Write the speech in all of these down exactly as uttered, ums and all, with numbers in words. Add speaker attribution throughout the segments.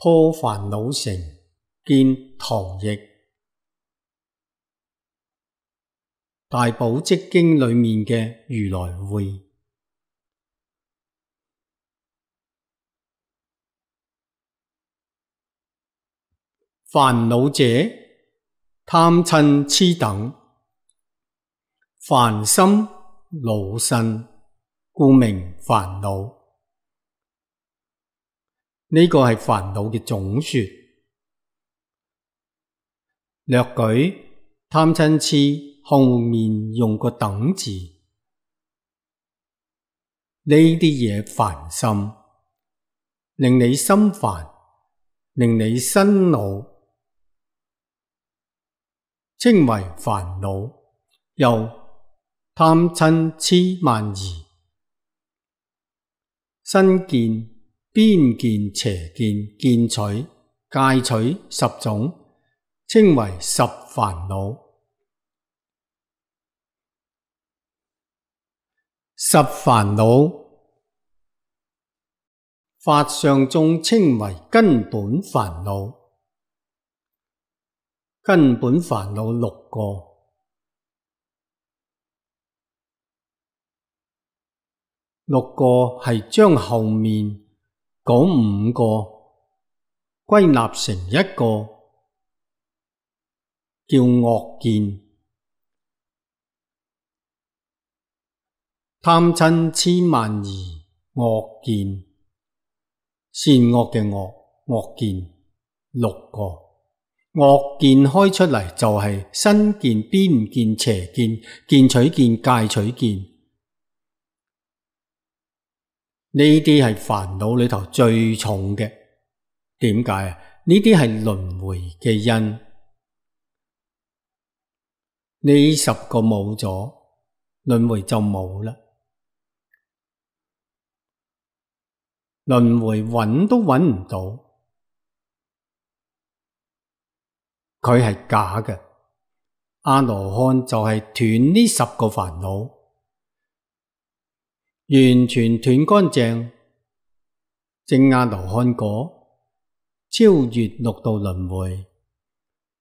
Speaker 1: 破煩惱城，見唐譯。大寶積經裏面嘅如來會。煩惱者，貪嗔癡等，煩心惱身，故名煩惱。呢個係煩惱嘅總說。略舉貪嗔癡後面用個等字，呢啲嘢煩心，令你心煩，令你身惱，稱為煩惱。又貪嗔癡慢疑，身見、邊見、邪見、見取、戒取十種，稱為十煩惱。十煩惱，法相中稱為根本煩惱。根本煩惱六個，六個係將後面嗰五個歸納成一個，叫惡見。貪嗔癡慢疑惡見，善惡嘅惡，惡見六個。惡見開出嚟就係身見、邊見、邪見、見取見、戒取見，呢啲係煩惱裏頭最重嘅。點解啊？呢啲係輪迴嘅因，呢十個冇咗，輪迴就冇啦。輪迴揾都揾唔到。佢係假嘅，阿羅漢就係斷呢十個煩惱，完全斷乾淨，證阿羅漢果，超越六道輪迴。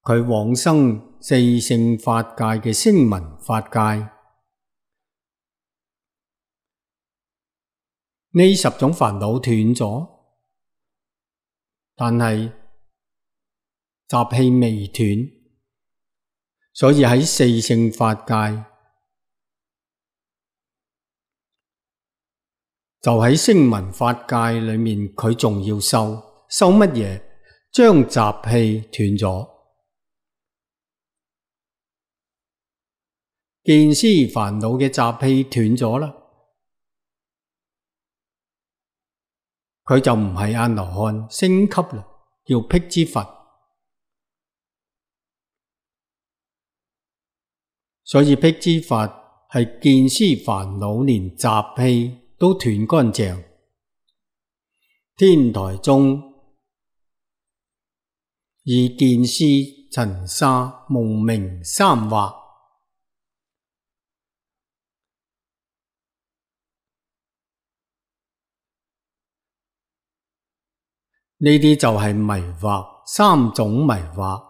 Speaker 1: 佢往生四聖法界嘅聲聞法界。呢十種煩惱斷咗，但係習氣未斷，所以喺四聖法界，就喺聲聞法界裏面，佢仲要修修乜嘢？將習氣斷咗，見思煩惱嘅習氣斷咗啦，佢就唔係阿羅漢，升級啦，叫辟支佛。所以辟支佛係見思煩惱連習氣都斷乾淨。天台宗以見思塵沙蒙名三惑，呢啲就係迷惑，三種迷惑。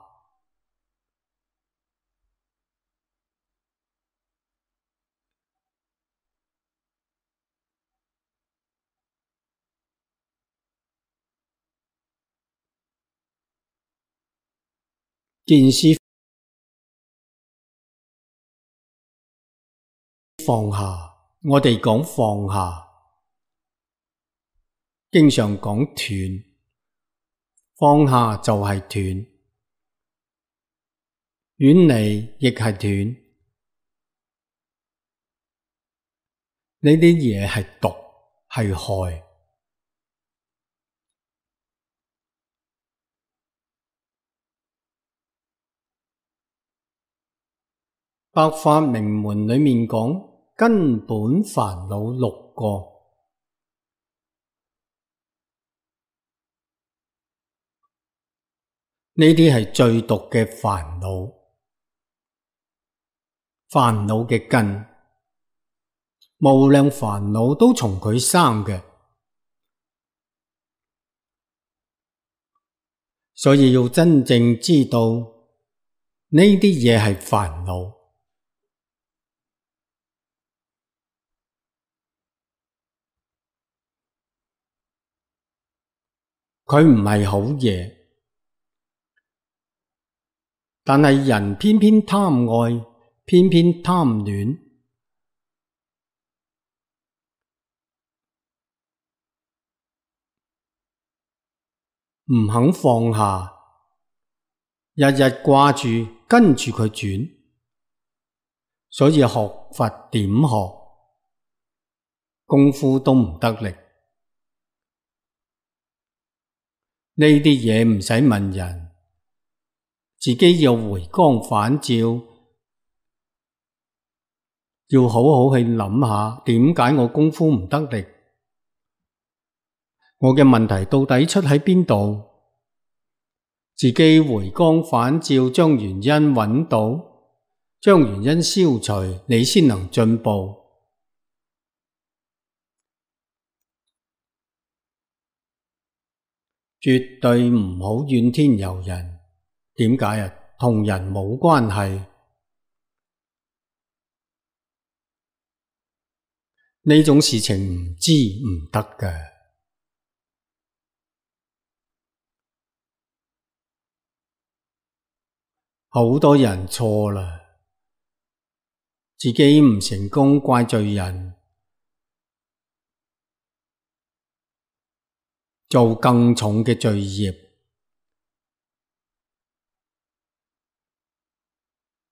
Speaker 1: 見思放下，我哋講放下，經常講斷，放下就係斷，遠離亦係斷。呢啲嘢係毒，係害。百法明門裏面講根本煩惱六個，呢啲係最毒嘅煩惱，煩惱嘅根，無量煩惱都從佢生嘅。所以要真正知道呢啲嘢係煩惱，佢唔係好嘢，但係人偏偏貪愛，偏偏貪戀，唔肯放下，日日掛住跟住佢轉，所以學佛點學，功夫都唔得力。呢啲嘢唔使問人，自己要回光返照，要好好去諗下點解我功夫唔得力，我嘅問題到底出喺邊度？自己回光返照，將原因揾到，將原因消除，你先能進步。絕對唔好怨天尤人。點解啊？同人冇關係。呢種事情唔知唔得嘅。好多人錯啦，自己唔成功怪罪人，做更重嘅罪業，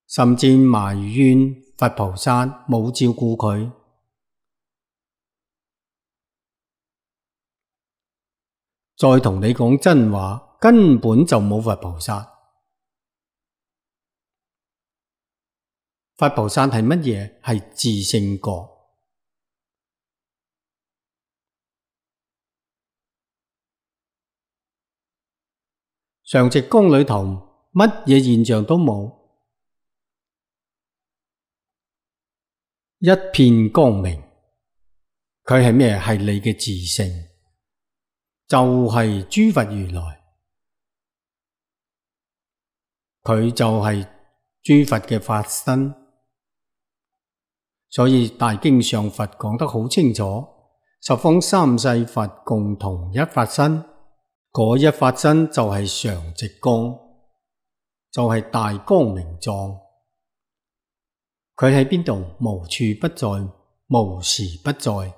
Speaker 1: 甚至埋怨佛菩薩冇照顧佢。再同你講真話，根本就冇佛菩薩。佛菩薩係乜嘢？係自性覺。常寂光裏頭乜嘢現象都冇，一片光明。佢係咩？係你嘅自性，就係諸佛如來，佢就係諸佛嘅法身。所以大經上佛講得好清楚，十方三世佛共同一法身，嗰一法身就係常寂光，就係大光明狀。佢喺邊度？無處不在，無時不在，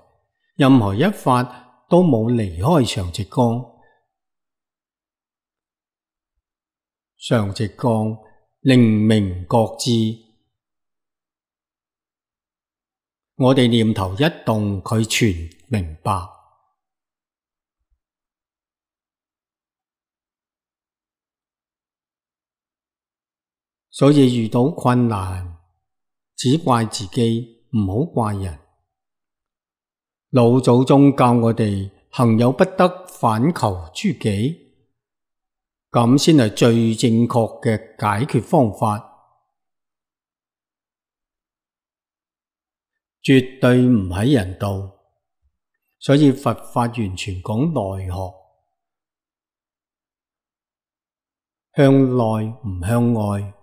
Speaker 1: 任何一法都冇離開常寂光。常寂光靈明覺智，我哋念頭一動，佢全明白。所以遇到困難，只怪自己，唔好怪人。老祖宗教我哋行有不得，反求諸己，咁先係最正確嘅解決方法。絕對唔喺人度，所以佛法完全講內學，向內唔向外，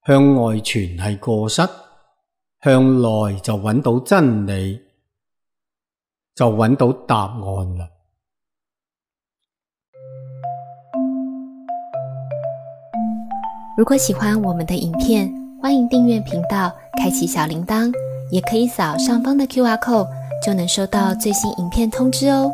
Speaker 1: 向外全係過失，向內就揾到真理，就揾到答案啦。
Speaker 2: 如果喜歡我們的影片，歡迎訂閱頻道，開啟小鈴鐺，也可以掃上方的 Q R code，就能收到最新影片通知哦。